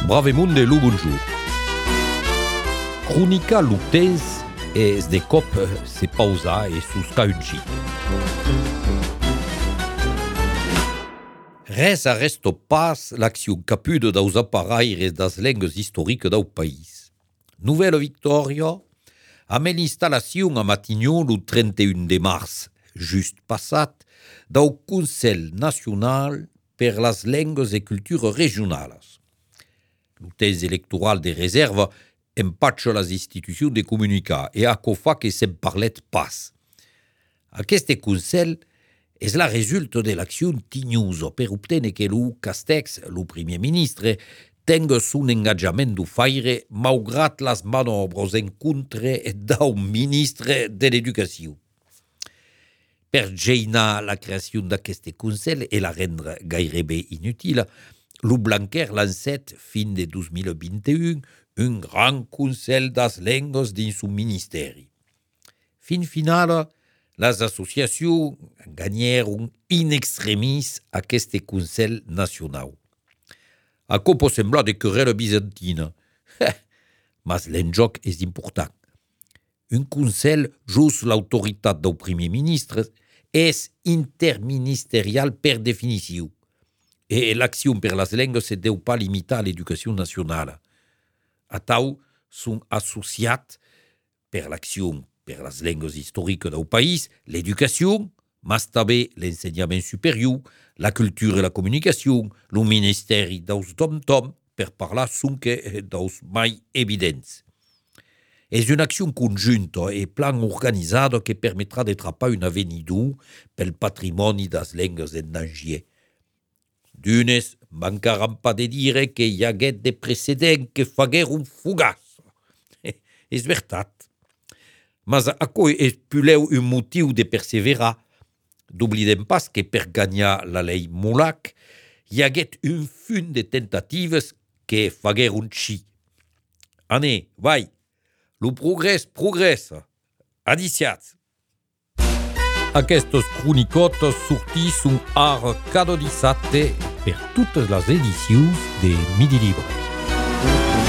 Bravemunde lo bonjour. Cronica lutens es de cop se pausa e susca un chit. Res arresto pas l'acció capuda daus aparaires das lengues historiques dau país. Nouvelle victòria amb l'installació a Matignon el 31 de març, just passat, dau Consell Nacional per las lengues e cultures regionales. El temps electoral de reserva empatxa les institucions de comunicar e aquò fa que se'n parlet pas. Aquest Consell és la resulta de l'acció tignosa per obtenir que el Castex, el primer ministre, tenga son engagement du faire malgrat les manobres en contra del ministre de l'Educació. Per geinar la creació d'aquest Consell e la rendre gairebé inutile, lo Blanquer lancet fin de 2021 un gran Consell das lengues dins son ministeri. Fin final, les associacions gagnèron in extremis aquest Consell Nacional. Aquò pot semblar de querella bizantina, mas l'enjoc és important. Un Consell jos l'autoritat del primer ministre és interministerial per definició, e l'acció per les lengues se deu pas limitar a l'educació nacional. Atau són associats per l'acció per les lengues historiques del país, l'educació, mas també l'ensenyament superior, la cultura e la comunicació, el ministeri dels tom-tom, per parlar sonque dels mai evidents. És una acció conjunta e plan organitzada que permetrà de trapar un avenidor pel patrimoni das lengues endangier. D'unes mancaran pas de dire que hi haguet de precedents que fagueren fugaç. És veritat. Mas aquò és puleu un motiu de perseverar. D'oblidem pas que per gagnar la lei Molac hi haguet un funt de tentatives que fagueren chi. Ane, vai, lo progrés progressa. Adiciats. Aquestes cronicotes sortisson ara cada dissabte per totes les edicions de Midi Libre.